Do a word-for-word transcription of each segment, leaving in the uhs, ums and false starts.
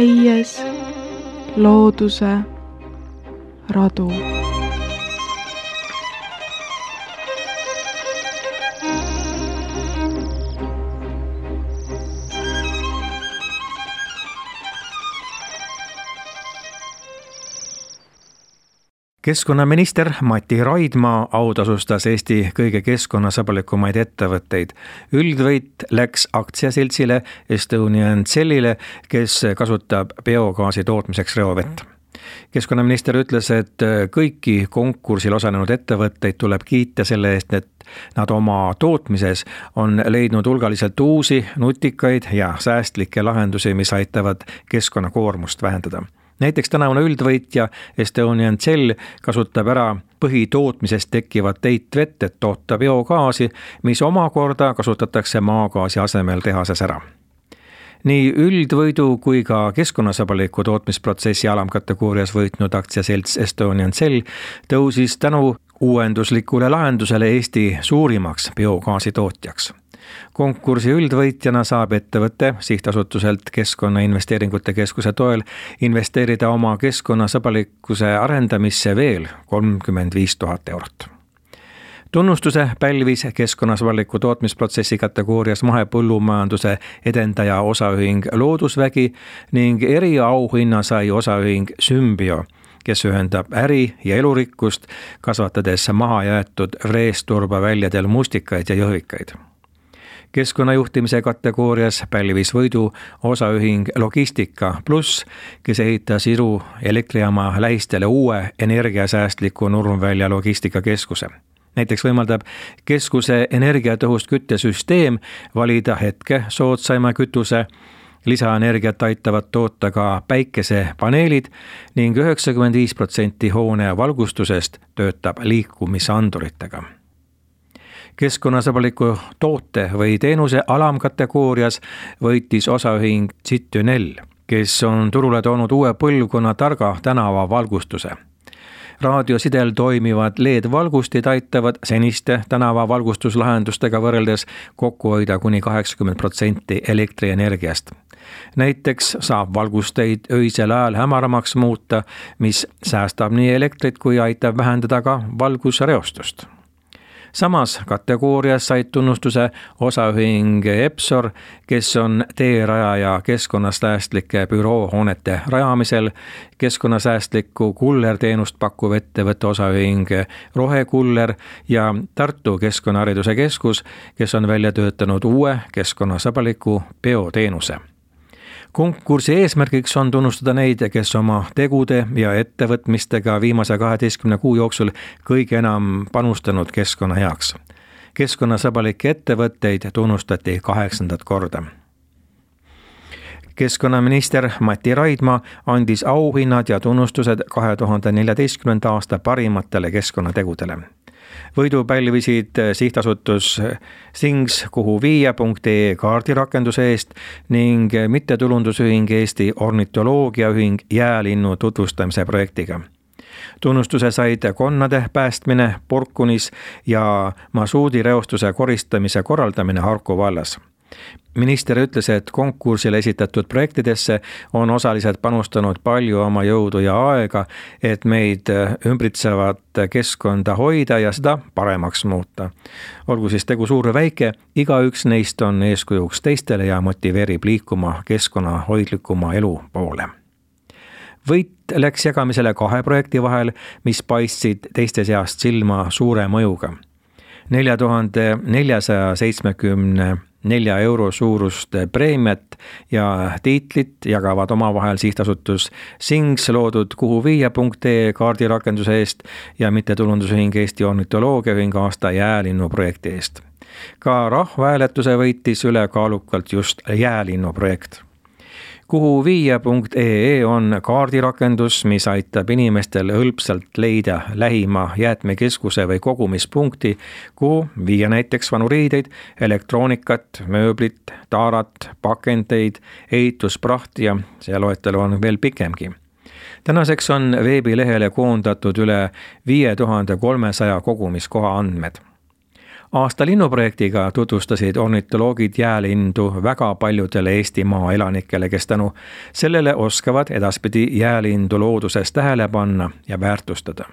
käies looduse radu. Keskkonnaminister Mati Raidma autasustas Eesti kõige keskkonnasõbralikumaid ettevõtteid. Üldvõit läks aktsiaseltsile Estonian Cellile, kes kasutab biogaasi tootmiseks reovett. Keskkonnaminister ütles, et kõiki konkursil osalenud ettevõtteid tuleb kiita selle eest, et nad oma tootmises on leidnud hulgaliselt uusi, nutikaid ja säästlikke lahendusi, mis aitavad keskkonnakoormust vähendada. Näiteks tänavune üldvõitja Estonian Cell kasutab ära põhitootmisest tekkivat heitvett, et toota biogaasi, mis omakorda kasutatakse maagaasi asemel tehases ära. Nii üldvõidu kui ka keskkonnasõbraliku tootmisprotsessi alamkategoorias võitnud aktsiaselts Estonian Cell tõusis tänu uuenduslikule lahendusele Eesti suurimaks biogaasi tootjaks. Konkursi üldvõitjana saab ettevõte sihtasutuselt Keskkonnainvesteeringute Keskuse toel investeerida oma keskkonnasõbralikkuse arendamisse veel kolmkümmend viis tuhat eurot. Tunnustuse pälvis keskkonnasõbraliku tootmisprotsessi kategoorias mahepõllumajanduse edendaja osaühing Loodusvägi ning eriauhinna sai osaühing Symbio, kes ühendab äri ja elurikkust, kasvatades maha jäetud Vreesturba-väljadel mustikaid ja jõhvikaid. Keskkonnajuhtimise kategoorias pälvis võidu osaühing Logistika Plus, kes ehitas Iru elektrijaama lähistele uue energiasäästliku Nurmvälja logistikakeskuse. Näiteks võimaldab keskuse energiatõhust küttesüsteem valida hetke soodsaima kütuse, lisaenergiat aitavad toota ka päikesepaneelid ning üheksakümmend viis protsenti hoone valgustusest töötab liikumisanduritega. Keskkonnasõbraliku toote või teenuse alamkategoorias võitis osaühing Citynel, kes on turule toonud uue põlvkonna targa tänava valgustuse. Raadiosidel toimivad L E D-valgustid aitavad seniste tänava valgustuslahendustega võrreldes kokku hoida kuni kaheksakümmend protsenti elektrienergiast. Näiteks saab valgusteid öisel ajal hämaramaks muuta, mis säästab nii elektrit kui aitab vähendada ka valgusreostust. Samas kategoorias said tunnustuse osaühing Epsor, kes on teerajaja keskkonnasäästlike büroohoonete rajamisel, keskkonnasäästliku kullerteenust pakkuv ettevõtte osaühing Rohekuller ja Tartu Keskkonnahariduse Keskus, kes on välja töötanud uue keskkonnasõbraliku bioteenuse. Konkursi eesmärgiks on tunnustada neid, kes oma tegude ja ettevõtmistega viimase kaheteistkümne kuu jooksul kõige enam panustanud keskkonna heaks. Keskkonnasõbralikke ettevõtteid tunnustati kaheksandat korda. Keskkonnaminister Mati Raidma andis auhinnad ja tunnustused kahe tuhande neljateistkümnenda aasta parimatele keskkonnategudele. Võidu pälvisid sihtasutus Things kuhu viia punkt ee kaardirakenduse eest ning mittetulundusühing Eesti ornitoloogiaühing jäälinnu tutvustamise projektiga. Tunnustuse said konnade päästmine Porkunis ja masuudi reostuse koristamise korraldamine Harku vallas. Minister ütles, et konkursile esitatud projektidesse on osalised panustanud palju oma jõudu ja aega, et meid ümbritsevat keskkonda hoida ja seda paremaks muuta. Olgu siis tegu suur või väike, igaüks neist on eeskujuks teistele ja motiveerib liikuma keskkonnahoidlikuma elu poole. Võit läks jagamisele kahe projekti vahel, mis paistsid teiste seast silma suure mõjuga. nelja tuhande neljasaja seitsmekümne nelja euro suurust preemiat ja tiitlit jagavad omavahel sihtasutus Things loodud kuhu viia punkt ee kaardirakenduse eest ja mittetulundusühing Eesti ornitoloogiaühing aasta jäälinnu projekti eest. Ka rahvahääletuse võitis ülekaalukalt just jäälinnu projekt. kuhu viia punkt ee on kaardirakendus, mis aitab inimestel hõlpsalt leida lähima jäätmekeskuse või kogumispunkti, kuhu viia näiteks vanu riideid, elektroonikat, mööblit, taarat, pakendeid, ehitusprahti ja see loetelu on veel pikemgi. Tänaseks on veebilehele koondatud üle viie tuhande kolmesaja kogumiskoha andmed. Aasta linnuprojektiga tutvustasid ornitoloogid jäälindu väga paljudele Eestimaa elanikele, kes tänu sellele oskavad edaspidi jäälindu looduses tähele panna ja väärtustada.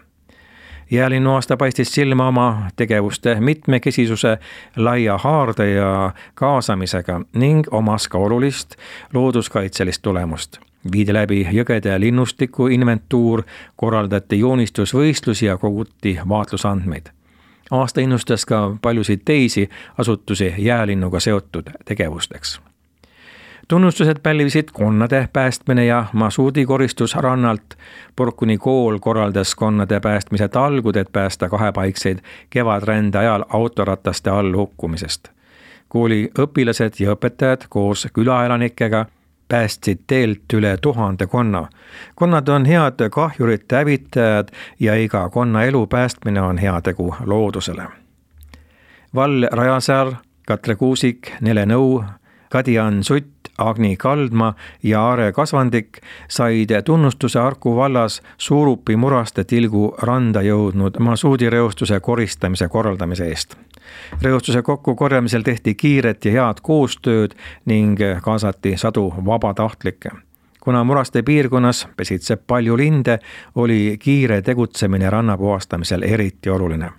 Jäälinnu aasta paistis silma oma tegevuste mitmekesisuse, laia haarde ja kaasamisega ning omas ka olulist looduskaitselist tulemust. Viidi läbi jõgede linnustiku inventuur, korraldati joonistusvõistlusi ja koguti vaatlusandmeid. Aasta innustas ka paljusid teisi asutusi jäälinnuga seotud tegevusteks. Tunnustused pälvisid konnade päästmine ja masuudikoristus rannalt. Porkuni kool korraldas konnade päästmise talgud, et päästa kahepaikseid kevadrände ajal autorataste all hukkumisest. Kooli õpilased ja õpetajad koos külaelanikega päästsid teelt üle tuhande konna. Konnad on head kahjurite hävitajad ja iga konna elu päästmine on heategu loodusele. Val Rajasaar, Katre Kuusik, Nele Nõu, Kadian Sutt, Agni Kaldma ja Aare Kasvandik said tunnustuse Harku vallas Suurupi muraste tilgu randa jõudnud masuudireostuse koristamise korraldamise eest. Reostuse kokkukorjamisel tehti kiiret ja head koostööd ning kaasati sadu vabatahtlikke. Kuna muraste piirkonnas pesitseb palju linde, oli kiire tegutsemine ranna puhastamisel eriti oluline.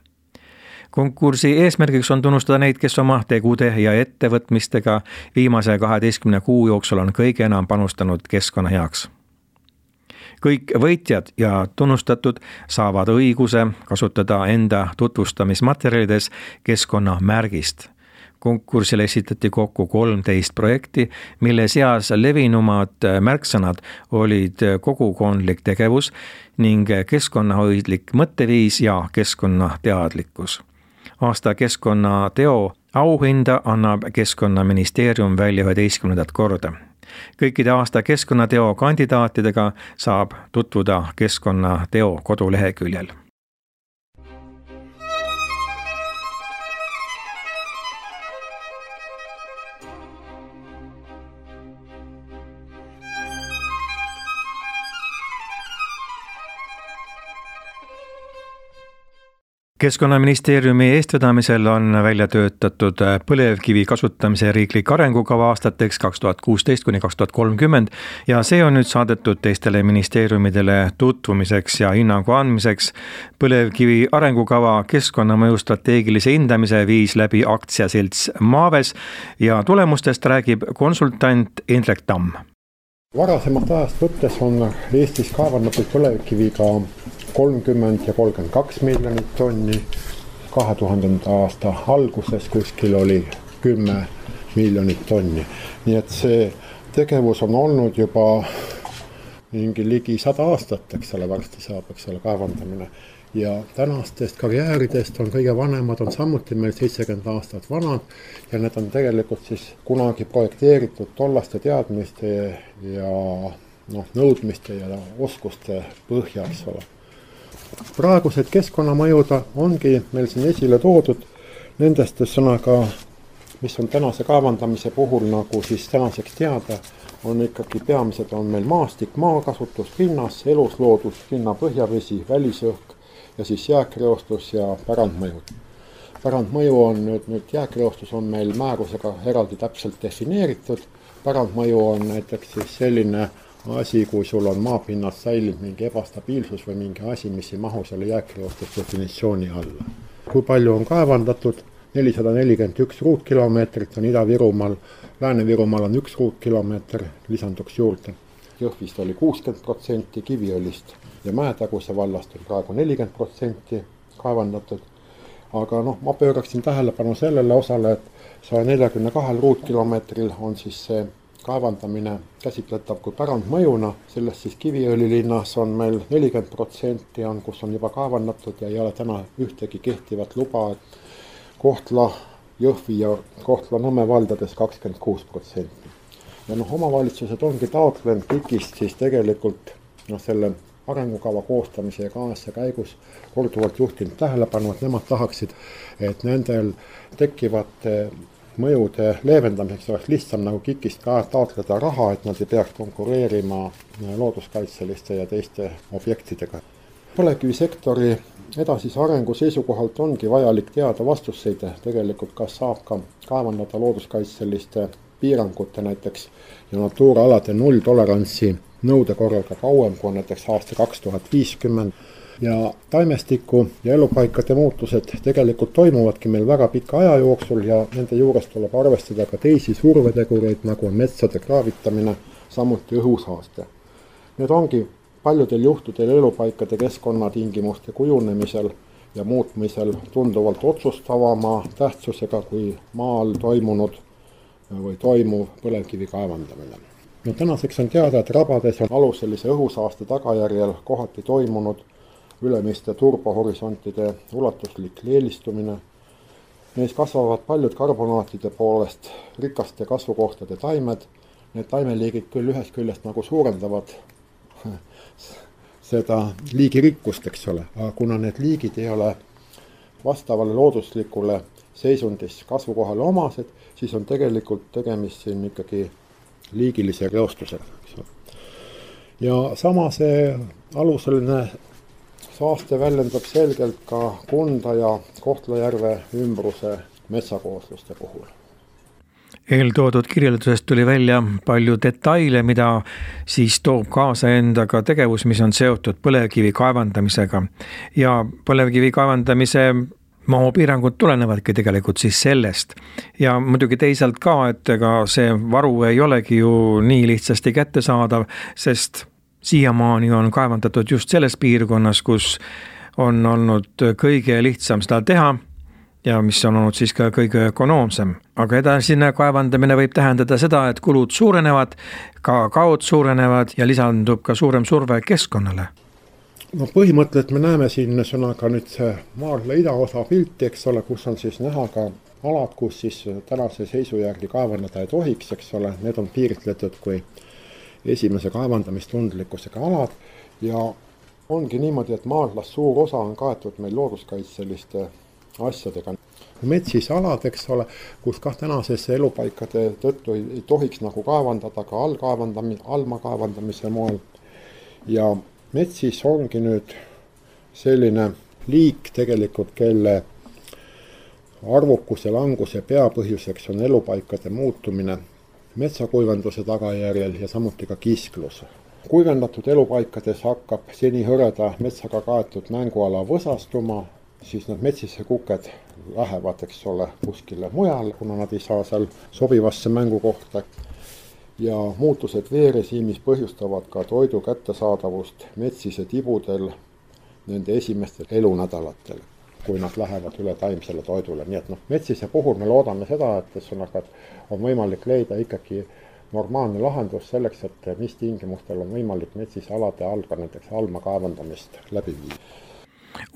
Konkursi eesmärgiks on tunnustada neid, kes oma tegude ja ettevõtmistega viimase kaheteistkümne kuu jooksul on kõige enam panustanud keskkonna heaks. Kõik võitjad ja tunnustatud saavad õiguse kasutada enda tutvustamismaterjalides keskkonnamärgist. Konkursile esitati kokku kolmteist projekti, mille seas levinumad märksõnad olid kogukondlik tegevus ning keskkonnahoidlik mõtteviis ja keskkonnateadlikkus. Aasta keskkonnateo auhinda annab Keskkonnaministeerium välja üheteistkümnendat korda. Kõikide aasta keskkonnateo kandidaatidega saab tutvuda Keskkonnateo koduleheküljel. Keskkonnaministeeriumi eestvedamisel on välja töötatud põlevkivi kasutamise riiklik arengukava aastateks kaks tuhat kuusteist kuni kaks tuhat kolmkümmend ja see on nüüd saadetud teistele ministeeriumidele tutvumiseks ja hinnangu andmiseks. Põlevkivi arengukava keskkonnamõju strateegilise hindamise viis läbi aktsiaselts Maaves ja tulemustest räägib konsultant Indrek Tamm. Varasemast ajast võttes on Eestis kaevandatud põlevkiviga kolmkümmend ja kolmkümmend kaks miljonit tonni. kahe tuhandenda aasta alguses kuskil oli kümme miljonit tonni. Nii et see tegevus on olnud juba mingi ligi sada aastat, eks ole, varsti saab, eks ole, kaevandamine. Ja tänastest karjääridest on kõige vanemad on samuti meil seitsekümmend aastat vanad ja need on tegelikult siis kunagi projekteeritud tollaste teadmiste ja noh, nõudmiste ja oskuste põhja, eks ole. Praegused keskkonnamõjud ongi meil siin esile toodud nendest sõnaga, mis on tänase kaevandamise puhul nagu siis tänaseks teada, on ikkagi peamised on meil maastik, maakasutus, pinnas, elusloodus, pinna põhjavesi, välisõhk ja siis jääkreostus ja pärandmõjud. Pärandmõju on nüüd, nüüd jääkreostus on meil määrusega eraldi täpselt defineeritud. Pärandmõju on näiteks siis selline asi, kui sul on maapinnas säilinud mingi ebastabiilsus või mingi asi, mis ei mahu selle jääkreostus definitsiooni alla. Kui palju on kaevandatud? nelisada nelikümmend üks ruutkilomeetrit on Ida-Virumaal, Lääne-Virumaal on üks ruutkilomeeter, lisanduks juurde. Jõhvist oli kuuskümmend protsenti, Kiviõlist ja Mäetaguse vallast on praegu nelikümmend protsenti kaevandatud. Aga noh, ma pööraksin tähelepanu sellele osale, et saja neljakümne kahel ruutkilomeetril on siis see kaevandamine käsitletav kui pärandmõjuna. Sellest siis Kiviõli linnas on meil nelikümmend protsenti on, kus on juba kaevandatud ja ei ole täna ühtegi kehtivat luba. Kohtla, Jõhvi ja Kohtla Nõmme valdades kakskümmend kuus protsenti. Ja noh, omavalitsused ongi taotlenud KIK-ist siis tegelikult noh, selle arengukava koostamise ja kaasa käigus korduvalt juhtinud tähelepanu, et nemad tahaksid, et nendel tekivate mõjude leevendamiseks oleks lihtsam nagu KIK-ist ka taotleda raha, et nad ei peaks konkureerima looduskaitseliste ja teiste objektidega. põlevkivisektori edasise arengu seisukohalt ongi vajalik teada vastuseid tegelikult, kas saab ka kaevandada looduskaitseliste piirangute näiteks ja natuuralade nulltolerantsi nõude korral ka kauem kui näiteks aasta kaks tuhat viiskümmend. Ja taimestiku ja elupaikade muutused tegelikult toimuvadki meil väga pika aja jooksul ja nende juures tuleb arvestada ka teisi survetegureid, nagu on metsade kraavitamine, samuti õhusaaste. Need ongi paljudel juhtudel elupaikade keskkonnatingimuste kujunemisel ja muutmisel tunduvalt otsustavama tähtsusega kui maal toimunud või toimuv põlevkivi kaevandamine. No, tänaseks on teada, et rabades on aluselise õhusaaste tagajärjel kohati toimunud ülemiste turbohorisontide ulatuslik leelistumine. Neis kasvavad paljud karbonaatide poolest rikaste kasvukohtade taimed. Need taimeliigid küll ühest küljest nagu suurendavad seda liigirikkust, eks ole, aga kuna need liigid ei ole vastavale looduslikule seisundis kasvukohale omased, siis on tegelikult tegemist siin ikkagi liigilise reostusega. Ja sama see aluseline saaste väljendab selgelt ka Kunda ja Kohtla-Järve ümbruse metsakoosluste puhul. Eeltoodud kirjeldusest tuli välja palju detaile, mida siis toob kaasa endaga tegevus, mis on seotud põlevkivi kaevandamisega. Ja põlevkivi kaevandamise mahupiirangud tulenevadki tegelikult siis sellest. Ja muidugi teisalt ka, et ega see varu ei olegi ju nii lihtsasti kättesaadav, sest siiamaani on kaevandatud just selles piirkonnas, kus on olnud kõige lihtsam seda teha ja mis on olnud siis ka kõige ökonoomsem. Aga edasine kaevandamine võib tähendada seda, et kulud suurenevad, ka kaod suurenevad ja lisandub ka suurem surve keskkonnale. No põhimõtteliselt me näeme siin sõnaga nüüd see Maardla idaosa pilti, eks ole, kus on siis näha ka alad, kus siis tänase seisu järgi kaevandada ei tohiks, eks ole, need on piiritletud kui esimese kaevandamistundlikkusega alad ja ongi niimoodi, et Maardlas suur osa on kaetud meil looduskaitseliste asjadega. Metsis alad, eks ole, kus ka tänasesse elupaikade tõttu ei tohiks nagu kaevandada ka allkaevandamise, alma kaevandamise moel. Ja metsis ongi nüüd selline liik tegelikult, kelle arvukuse languse peapõhjuseks on elupaikade muutumine metsakuivanduse tagajärjel ja samuti ka kisklus. Kuivendatud elupaikades hakkab seni hõreda metsaga kaetud mänguala võsastuma, siis need metsisse kuked lähevad, eks ole, kuskile mujal, kuna nad ei saa seal sobivasse mängukohta. Ja muutused veerežiimis põhjustavad ka toidu kättesaadavust metsise tibudel nende esimestel elunädalatel, kui nad lähevad üle taimsele toidule. Nii et noh, metsise puhul me loodame seda, et on võimalik leida ikkagi normaalne lahendus selleks, et mis tingimustel on võimalik metsise alade all ka näiteks alma kaevandamist läbi viia.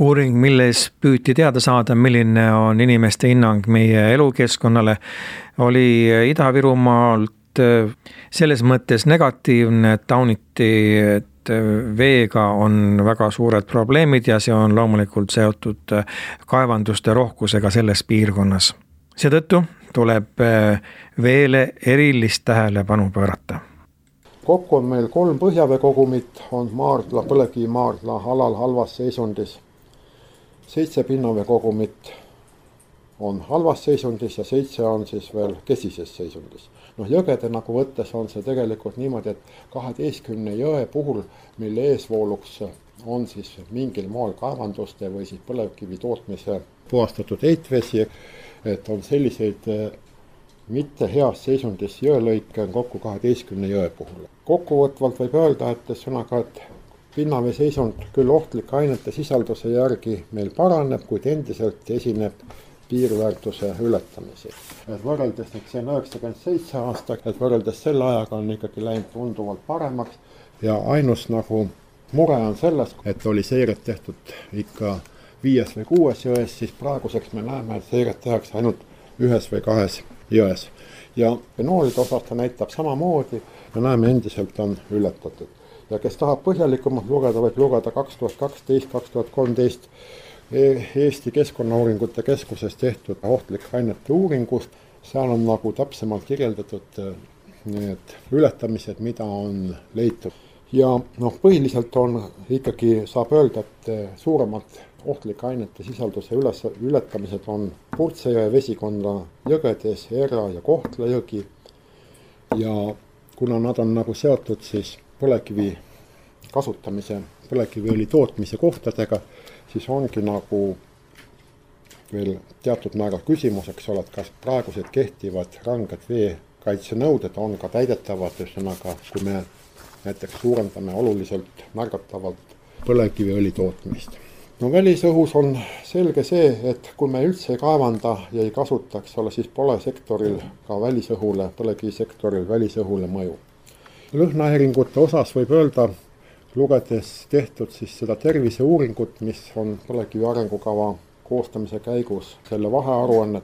Uuring, milles püüti teada saada, milline on inimeste hinnang meie elukeskkonnale, oli Ida-Virumaalt selles mõttes negatiivne, et tauniti, et veega on väga suured probleemid ja see on loomulikult seotud kaevanduste rohkusega selles piirkonnas. Seetõttu tuleb veele erilist tähelepanu pöörata. Kokku on meil kolm põhjaveekogumit, on Maardla, põlevkivi Maardla alal halvas seisundis. Seitse pinnaveekogumit on halvas seisundis ja seitse on siis veel kesises seisundis. Noh, jõgede nagu võttes on see tegelikult niimoodi, et kaheteistkümne jõe puhul, mille eesvooluks on siis mingil moel kaevanduste või siis põlevkivi tootmise puhastatud heitvesi, et on selliseid mitte heas seisundis jõelõike on kokku kaheteistkümne jõe puhul. Kokkuvõtvalt võib öelda, et sõnaga, et pinnavee seisund küll ohtlike ainete sisalduse järgi meil paraneb, kuid endiselt esineb piirväärtuse ületamisi. Et võrreldes, et see on üheksakümmend seitse aasta, et võrreldes selle ajaga on ikkagi läinud tunduvalt paremaks ja ainus nagu mure on selles, et oli seiret tehtud ikka viies või kuues jões, siis praeguseks me näeme, et seiret tehakse ainult ühes või kahes jões. Ja fenoolide osas ta näitab samamoodi ja näeme endiselt on ületatud. Ja kes tahab põhjalikumalt lugeda, võib lugeda kaks tuhat kaksteist kaks tuhat kolmteist Eesti Keskkonnauuringute Keskuses tehtud ohtlike ainete uuringust. Seal on nagu täpsemalt kirjeldatud need ületamised, mida on leitud. ja noh, põhiliselt on ikkagi, saab öelda, et suuremad ohtlike ainete sisalduse üles, ületamised on Purtse jõe vesikonna jõgedes, Erra ja Kohtla jõgi. Ja kuna nad on nagu seotud siis põlevkivi kasutamise, põlevkiviõli tootmise kohtadega, siis ongi nagu veel teatud määral küsimus, eks ole, et kas praegused kehtivad ranged veekaitsenõuded on ka täidetavad, ühesõnaga, kui me näiteks suurendame oluliselt märgatavalt põlevkiviõli tootmist. No välisõhus on selge see, et kui me üldse ei kaevanda ja ei kasutaks, ole, siis pole sektoril ka välisõhule, põlevkivisektoril välisõhule mõju. Lõhnahäiringute osas võib öelda, lugedes tehtud siis seda terviseuuringut, mis on põlevkivi arengukava koostamise käigus, selle vahearuannet,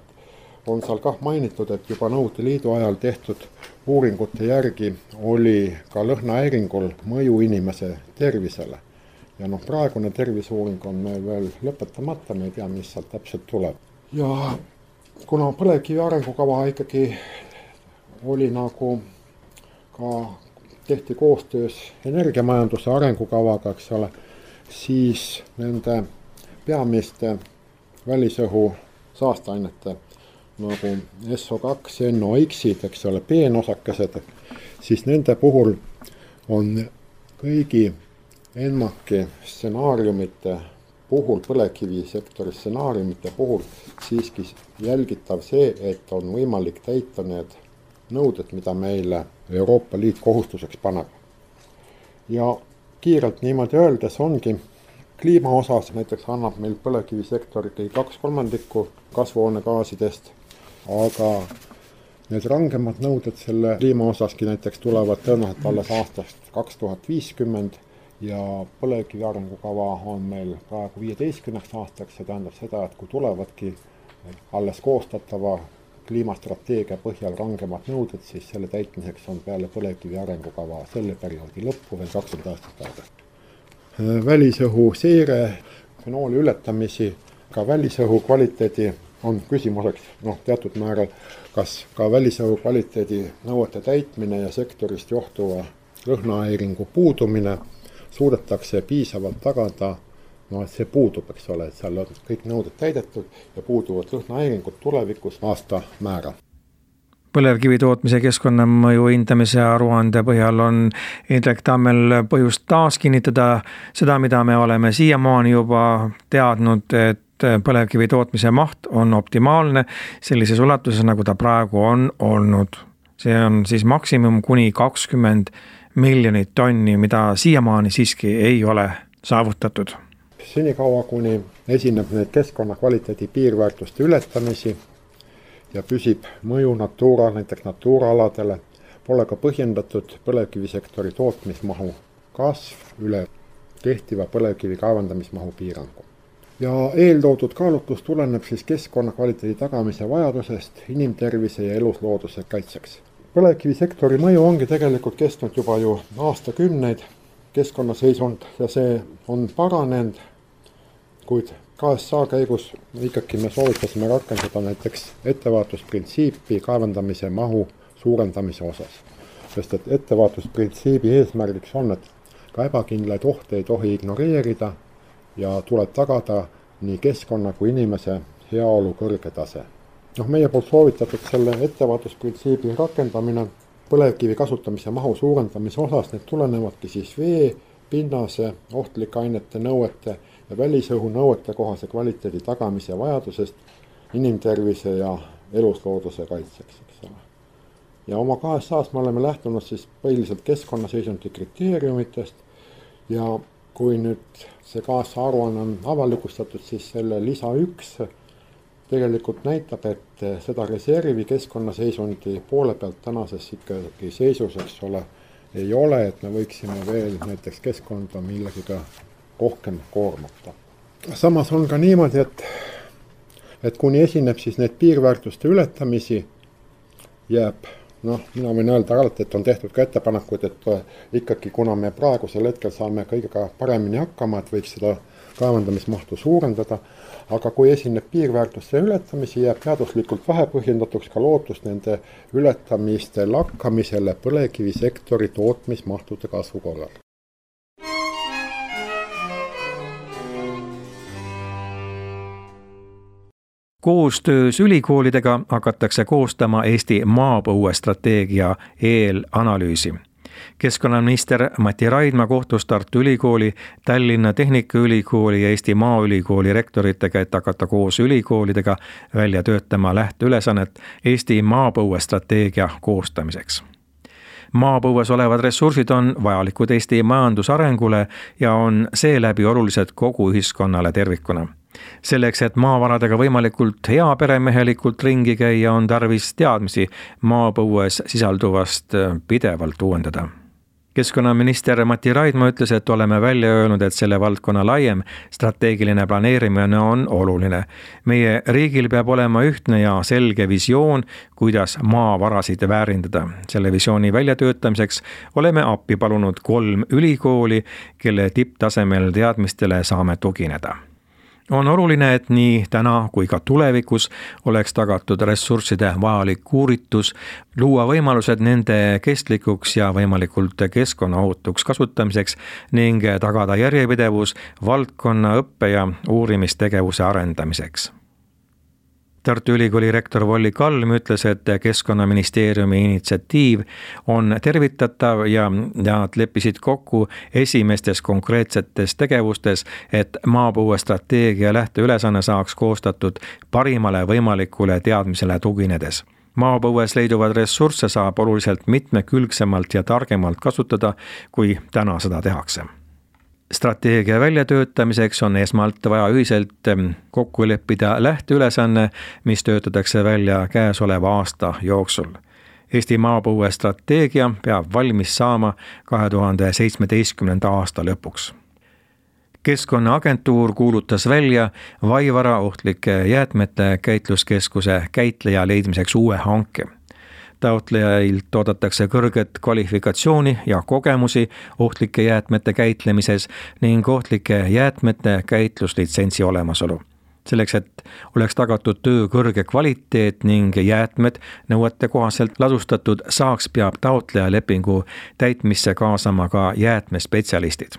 on seal kah mainitud, et juba Nõukogude Liidu ajal tehtud uuringute järgi oli ka lõhnahäiringul mõju inimese tervisele. Ja noh, praegune terviseuuring on meil veel lõpetamata, me ei tea, mis sealt täpselt tuleb. Ja kuna põlevkivi arengukava ikkagi oli nagu ka tehti koostöös energiamajanduse arengukavaga, eks ole, siis nende peamiste välisõhu saasteainete nagu S O kaks, N O X-id, eks ole, peenosakesed, siis nende puhul on kõigi ENMAK-i stsenaariumite puhul, põlevkivisektori stsenaariumite puhul siiski jälgitav see, et on võimalik täita need nõuded, mida meile Euroopa Liit kohustuseks paneb. Ja kiirelt niimoodi öeldes ongi kliima osas, näiteks annab meil põlevkivisektori kaks kolmandikku kasvuhoonegaasidest, aga need rangemad nõuded selle kliima osaski näiteks tulevad tõenäoliselt alles aastast kaks tuhat viiskümmend ja põlevkivi arengukava on meil praegu viieteistkümneks aastaks, see tähendab seda, et kui tulevadki alles koostatava kliimastrateegia põhjal rangemad nõuded, siis selle täitmiseks on peale põlevkivi arengukava selle perioodi lõppu veel kakskümmend aastat aega. Välisõhu seire, fenooli ületamisi, ka välisõhu kvaliteedi on küsimuseks noh, teatud määral, kas ka välisõhu kvaliteedi nõuete täitmine ja sektorist johtuva lõhnahäiringu puudumine suudetakse piisavalt tagada, no et see puudub, eks ole, et seal on kõik nõuded täidetud ja puuduvad lõhnahäiringud tulevikus aasta määra. Põlevkivi tootmise keskkonnamõju hindamise aruande põhjal on Indrek Tammel põhjust taas kinnitada seda, mida me oleme siiamaani juba teadnud, et põlevkivi tootmise maht on optimaalne sellises ulatuses, nagu ta praegu on olnud. See on siis maksimum kuni kakskümmend miljonit tonni, mida siiamaani siiski ei ole saavutatud. Senikaua, kuni esineb need keskkonnakvaliteedi piirväärtuste ületamisi ja püsib mõju Natura, näiteks Natura aladele, pole ka põhjendatud põlevkivisektori tootmismahu kasv üle kehtiva põlevkivi kaevandamismahu piirangu. Ja eeltoodud kaalutlus tuleneb siis keskkonnakvaliteedi tagamise vajadusest inimtervise ja eluslooduse kaitseks. Põlevkivisektori mõju ongi tegelikult kestnud juba ju aastakümneid keskkonnaseisund ja see on paranenud, kuid K S A käigus ikkagi me soovitasime rakendada näiteks ettevaatusprintsiipi kaevandamise mahu suurendamise osas. Sest et ettevaatusprintsiibi eesmärgiks on, et ka ebakindlaid ohte ei tohi ignoreerida ja tuleb tagada nii keskkonna kui inimese heaolu kõrge tase. noh, meie poolt soovitatud selle ettevaatusprintsiibi rakendamine põlevkivi kasutamise mahu suurendamise osas, need tulenevadki siis vee, pinnase, ohtlike ainete nõuete ja välisõhu nõuete kohase kvaliteedi tagamise vajadusest inimtervise ja eluslooduse kaitseks, eks ole. Ja oma K S A-s me oleme lähtunud siis põhiliselt keskkonnaseisundi kriteeriumitest ja kui nüüd see K S A aruanne on avalikustatud, siis selle lisa üks tegelikult näitab, et seda reservi keskkonnaseisundi poole pealt tänases ikkagi seisus, eks ole, ei ole, et me võiksime veel näiteks keskkonda millegiga rohkem koormata. Samas on ka niimoodi, et, et kuni esineb siis need piirväärtuste ületamisi, jääb, noh, mina võin öelda alati, et on tehtud ka ettepanekud, et ikkagi kuna me praegusel hetkel saame kõigega paremini hakkama, et võiks seda kaevandamismahtu suurendada, aga kui esineb piirväärtuste ületamisi, jääb teaduslikult vähepõhjendatuks ka lootust nende ületamiste lakkamisele põlevkivisektori tootmismahtude kasvu korral. Koostöös ülikoolidega hakatakse koostama Eesti maapõuestrateegia eelanalüüsi. Keskkonnaminister Mati Raidma kohtus Tartu Ülikooli, Tallinna Tehnikaülikooli ja Eesti Maaülikooli rektoritega, et hakata koos ülikoolidega välja töötama lähteülesannet Eesti maapõuestrateegia koostamiseks. Maapõues olevad ressursid on vajalikud Eesti majandusarengule ja on seeläbi olulised kogu ühiskonnale tervikuna. Selleks, et maavaradega võimalikult heaperemehelikult ringi käia, on tarvis teadmisi maapõues sisalduvast pidevalt uuendada. Keskkonnaminister Mati Raidma ütles, et oleme välja öelnud, et selle valdkonna laiem strateegiline planeerimine on oluline. Meie riigil peab olema ühtne ja selge visioon, kuidas maavarasid väärindada. Selle visiooni väljatöötamiseks oleme appi palunud kolm ülikooli, kelle tipptasemel teadmistele saame tugineda. On oluline, et nii täna kui ka tulevikus oleks tagatud ressursside vajalik uuritus, luua võimalused nende kestlikuks ja võimalikult keskkonnaohutuks kasutamiseks ning tagada järjepidevus valdkonna õppe- ja uurimistegevuse arendamiseks. Tartu Ülikooli rektor Volli Kalm ütles, et Keskkonnaministeeriumi initsiatiiv on tervitatav ja nad leppisid kokku esimestes konkreetsetes tegevustes, et maapõuestrateegia lähteülesanne saaks koostatud parimale võimalikule teadmisele tuginedes. Maapõues leiduvad ressursse saab oluliselt mitmekülgsemalt ja targemalt kasutada, kui täna seda tehakse. Strateegia väljatöötamiseks on esmalt vaja ühiselt kokku leppida lähteülesanne, mis töötatakse välja käesoleva aasta jooksul. Eesti maapõuestrateegia peab valmis saama kahe tuhande seitsmeteistkümnenda aasta lõpuks. Keskkonnaagentuur kuulutas välja Vaivara ohtlike jäätmete käitluskeskuse käitleja leidmiseks uue hanke. Taotlejailt oodatakse kõrget kvalifikatsiooni ja kogemusi ohtlike jäätmete käitlemises ning ohtlike jäätmete käitluslitsentsi olemasolu. Selleks, et oleks tagatud töö kõrge kvaliteet ning jäätmed nõuete kohaselt ladustatud saaks, peab taotleja lepingu täitmisse kaasama ka jäätmespetsialistid.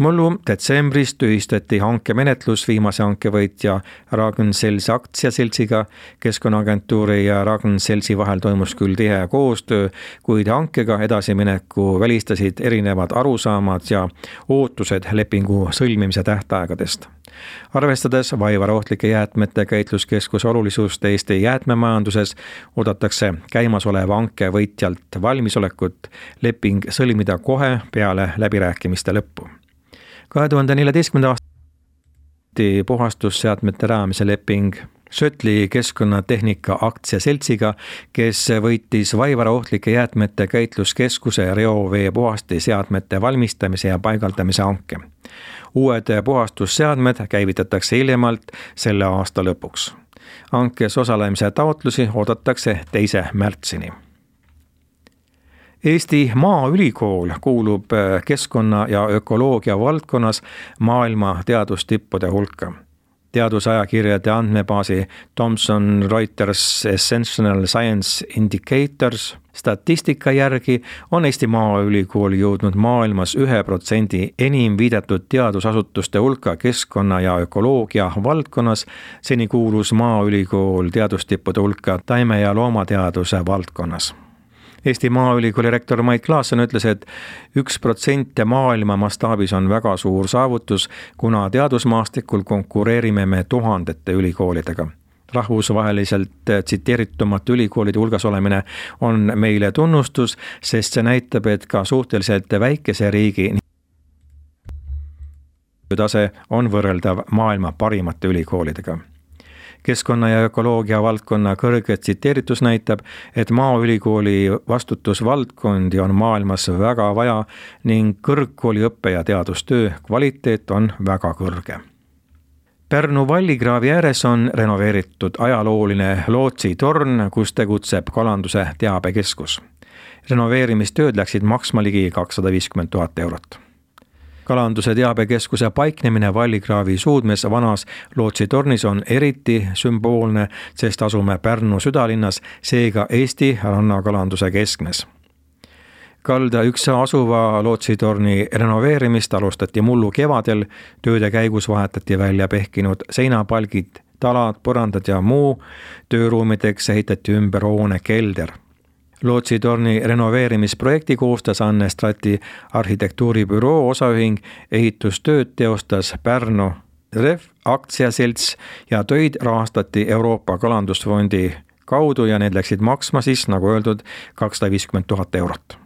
Mullu detsembris tühistati hankemenetlus viimase hankevõitja Ragn-Sells aktsiaseltsiga. Keskkonnaagentuuri ja Ragn-Sellsi vahel toimus küll tihe koostöö, kuid hankega edasimineku välistasid erinevad arusaamad ja ootused lepingu sõlmimise tähtaegadest. Arvestades Vaivara ohtlike jäätmete käitluskeskuse olulisust Eesti jäätmemajanduses, oodatakse käimasoleva hanke võitjalt valmisolekut leping sõlmida kohe peale läbirääkimiste lõppu. kahe tuhande neljateistkümnenda aasta puhastusseadmete rajamise leping Sötli Keskkonnatehnika aktsiaseltsiga, kes võitis Vaivara ohtlike jäätmete käitluskeskuse reovee puhastiseadmete valmistamise ja paigaldamise hanke. Uued puhastusseadmed käivitatakse hiljemalt selle aasta lõpuks. Hankes osalemise taotlusi oodatakse teise märtsini. Eesti Maaülikool kuulub keskkonna ja ökoloogia valdkonnas maailma teadustippude hulka. Teadusajakirjade andmebaasi Thomson Reuters Essential Science Indicators statistika järgi on Eesti Maaülikool jõudnud maailmas ühe protsendi enim viidatud teadusasutuste hulka keskkonna ja ökoloogia valdkonnas. Seni kuulus Maaülikool teadustippude hulka taime- ja loomateaduse valdkonnas. Eesti Maaülikooli rektor Mait Klaasson ütles, et üks protsent maailma mastaabis on väga suur saavutus, kuna teadusmaastikul konkureerime me tuhandete ülikoolidega. Rahvusvaheliselt tsiteeritumate ülikoolide hulgas olemine on meile tunnustus, sest see näitab, et ka suhteliselt väikese riigi tase on võrreldav maailma parimate ülikoolidega. Keskkonna ja ökoloogia valdkonna kõrge tsiteeritus näitab, et Maaülikooli vastutusvaldkondi on maailmas väga vaja ning kõrgkooli õppe- ja teadustöö kvaliteet on väga kõrge. Pärnu Vallikraavi ääres on renoveeritud ajalooline lootsitorn, kus tegutseb kalanduse teabekeskus. Renoveerimistööd läksid maksma ligi kakssada viiskümmend tuhat eurot. Kalanduse teabekeskuse paiknemine Vallikraavi suudmes vanas lootsitornis on eriti sümboolne, sest asume Pärnu südalinnas, seega Eesti rannakalanduse keskmes. Kalda üks asuva lootsitorni renoveerimist alustati mullu kevadel, tööde käigus vahetati välja pehkinud seinapalgid talad, põrandad ja muu. Tööruumideks ehitati ümber hoone kelder. Lootsitorni renoveerimisprojekti koostas Anne Strati arhitektuuribüroo osaühing, ehitustööd teostas Pärnu R E F aktsiaselts ja töid rahastati Euroopa Kalandusfondi kaudu ja need läksid maksma siis, nagu öeldud, kakssada viiskümmend tuhat eurot.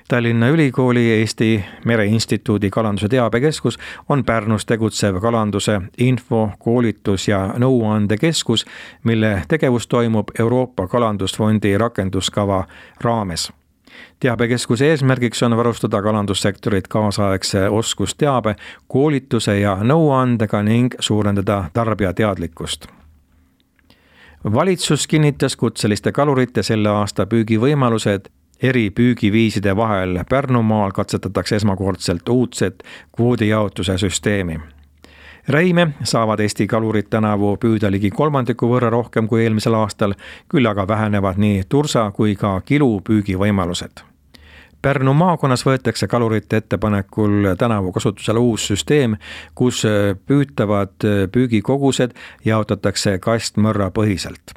Tallinna Ülikooli Eesti Mereinstituudi kalanduse teabekeskus on Pärnus tegutsev kalanduse info, koolitus ja nõuandekeskus, mille tegevus toimub Euroopa Kalandusfondi rakenduskava raames. Teabekeskuse eesmärgiks on varustada kalandussektorit kaasaegse oskusteabe, koolituse ja nõuandega ning suurendada tarbija teadlikkust. Valitsus kinnitas kutseliste kalurite selle aasta püügivõimalused. Eri püügiviiside vahel Pärnumaal katsetatakse esmakordselt uudset kvoodijaotuse süsteemi. Räime saavad Eesti kalurid tänavu püüda ligi kolmandiku võrra rohkem kui eelmisel aastal, küll aga vähenevad nii tursa kui ka kilu püügivõimalused. Pärnu maakonnas võetakse kalurite ettepanekul tänavu kasutusele uus süsteem, kus püütavad püügikogused jaotatakse kastmõrra põhiselt.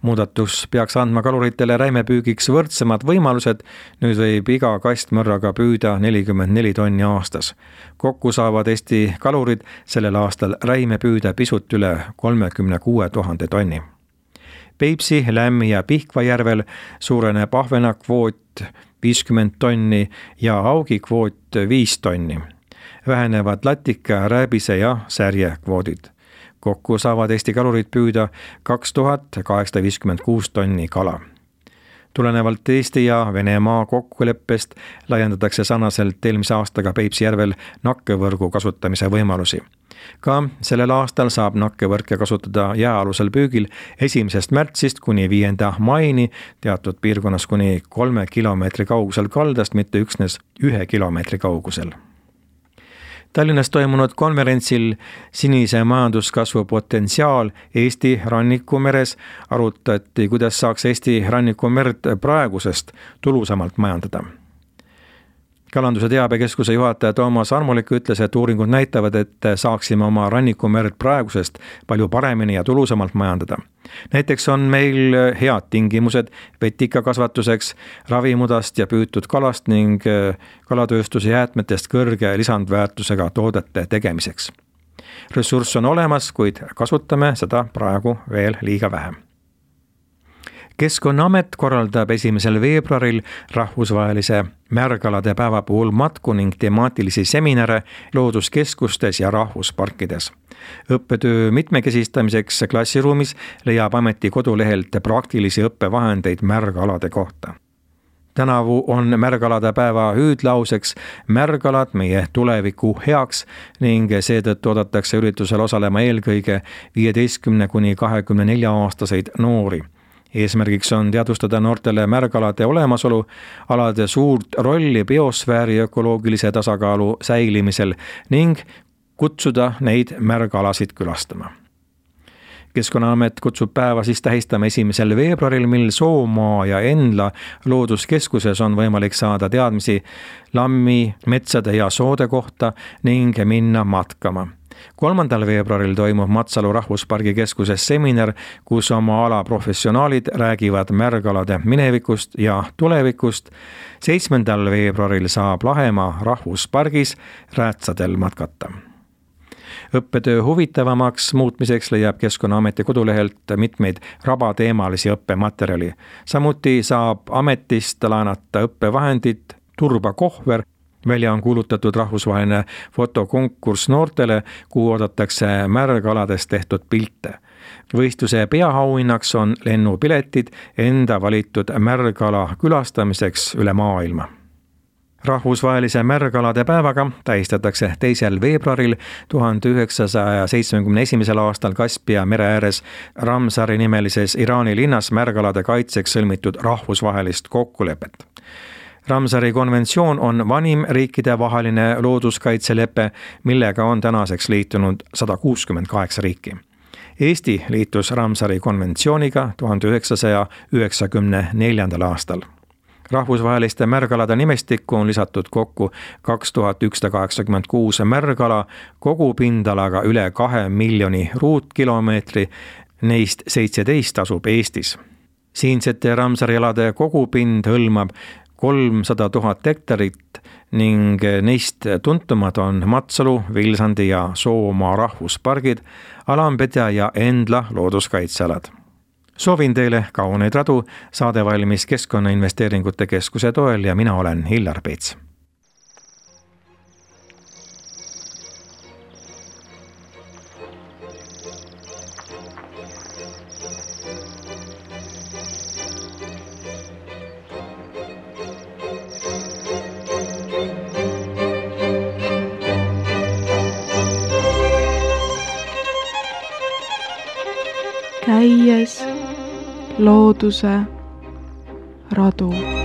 Muudatus peaks andma kaluritele räimepüügiks võrdsemad võimalused, nüüd võib iga kastmõrraga püüda nelikümmend neli tonni aastas. Kokku saavad Eesti kalurid sellel aastal räime püüda pisut üle kolmekümne kuue tuhande tonni. Peipsi, Lämmi ja Pihkva järvel suureneb ahvena kvoot viiskümmend tonni ja augi kvoot viis tonni. Vähenevad latika, rääbise ja särje kvoodid. Kokku saavad Eesti kalurid püüda kaks tuhat kaheksasada viiskümmend kuus tonni kala. Tulenevalt Eesti ja Venemaa kokkuleppest laiendatakse sarnaselt eelmise aastaga Peipsi järvel nakkevõrgu kasutamise võimalusi. Ka sellel aastal saab nakkevõrke kasutada jääalusel püügil esimesest märtsist kuni viienda maini teatud piirkonnas kuni kolme kilomeetri kaugusel kaldast, mitte üksnes ühe kilomeetri kaugusel. Tallinnas toimunud konverentsil Sinise majanduskasvu potentsiaal Eesti rannikumeres arutati, kuidas saaks Eesti rannikumerd praegusest tulusamalt majandada. Kalanduse teabekeskuse juhataja Toomas Armulik ütles, et uuringud näitavad, et saaksime oma rannikumerd praegusest palju paremini ja tulusamalt majandada. Näiteks on meil head tingimused vetikakasvatuseks, ravimudast ja püütud kalast ning kalatööstuse jäätmetest kõrge lisandväärtusega toodete tegemiseks. Ressurss on olemas, kuid kasutame seda praegu veel liiga vähe. Keskkonnaamet korraldab esimesel veebruaril rahvusvahelise märgalade päeva puhul matku ning temaatilisi seminare looduskeskustes ja rahvusparkides. Õppetöö mitmekesistamiseks klassiruumis leiab ameti kodulehelt praktilisi õppevahendeid märgalade kohta. Tänavu on märgalade päeva hüüdlauseks märgalad meie tuleviku heaks ning seetõttu oodatakse üritusel osalema eelkõige viieteistkümne kuni kahekümne nelja aastaseid noori. Eesmärgiks on teadvustada noortele märgalade olemasolu, alade suurt rolli biosfääri ökoloogilise tasakaalu säilimisel ning kutsuda neid märgalasid külastama. Keskkonnaamet kutsub päeva siis tähistama esimesel veebruaril, mil Soomaa ja Endla looduskeskuses on võimalik saada teadmisi lammi, metsade ja soode kohta ning minna matkama. kolmandal veebruaril toimub Matsalu rahvuspargi keskuses seminar, kus oma ala professionaalid räägivad märgalade minevikust ja tulevikust. seitsmendal veebruaril saab Lahemaa rahvuspargis räätsadel matkata. Õppetöö huvitavamaks muutmiseks leiab Keskkonnaameti kodulehelt mitmeid rabateemalisi õppematerjali. Samuti saab ametist laenata õppevahendid Turba Kohver. Välja on kuulutatud rahvusvaheline fotokonkurss noortele, kuhu oodatakse märgaladest tehtud pilte. Võistluse peaauhinnaks on lennupiletid enda valitud märgala külastamiseks üle maailma. Rahvusvahelise märgalade päevaga tähistatakse teisel veebruaril tuhande üheksasaja seitsmekümne esimesel aastal Kaspia mere ääres Ramsari nimelises Iraani linnas märgalade kaitseks sõlmitud rahvusvahelist kokkulepet. Ramsari konventsioon on vanim riikide vaheline looduskaitselepe, millega on tänaseks liitunud sada kuuskümmend kaheksa riiki. Eesti liitus Ramsari konventsiooniga tuhande üheksasaja üheksakümne neljandal aastal. rahvusvaheliste märgalade nimestikku on lisatud kokku kaks tuhat ükssada kaheksakümmend kuus märgala kogupindalaga üle kahe miljoni ruutkilomeetri, neist seitseteist asub Eestis. Siinsete Ramsari alade kogupind hõlmab kolmsada tuhat hektarit ning neist tuntumad on Matsalu, Vilsandi ja Soomaa rahvuspargid, Alampedja ja Endla looduskaitsealad. Soovin teile kauneid radu, saade valmis Keskkonnainvesteeringute Keskuse toel ja mina olen Hillar Peets. Käies looduse radu.